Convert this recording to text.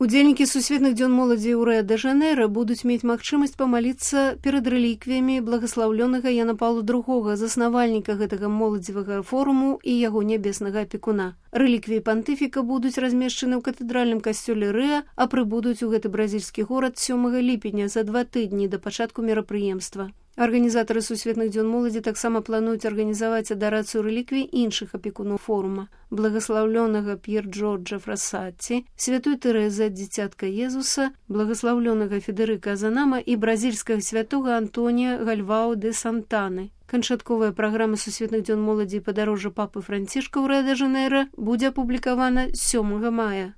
Удзельнікі сусветных дзён моладзі ў Рыа-дэ-Жанэйра будуць мець магчымасць памаліцца перад рэліквіямі благаслаўлёнага Яна Паўла II, заснавальніка гэтага моладзевага форуму і яго нябеснага апекуна. Рэліквіі пантыфіка будуць размешчаны ў катэдральным касцёле Рыа, а прыбудуць у гэты бразільскі горад 7 ліпеня, за 2 тыдні да пачатку мерапрыемства. Арганізатары сусветных дзён моладзі таксама плануюць арганізаваць адарацыю рэліквій іншых апекунаў форума: благаслаўлёнага П'ер-Джорджа Фрассаці, святой Тэрэзы ад дзіцятка Езуса, благаслаўлёнага Федэрыка Азанама і бразільскага святога Антонія Гальвау де Сантаны. Канчатковая праграма сусветных дзён моладзі і падарожжа папы Францішка ў Рыа-дэ-Жанэйра будзе апублікавана 7 мая.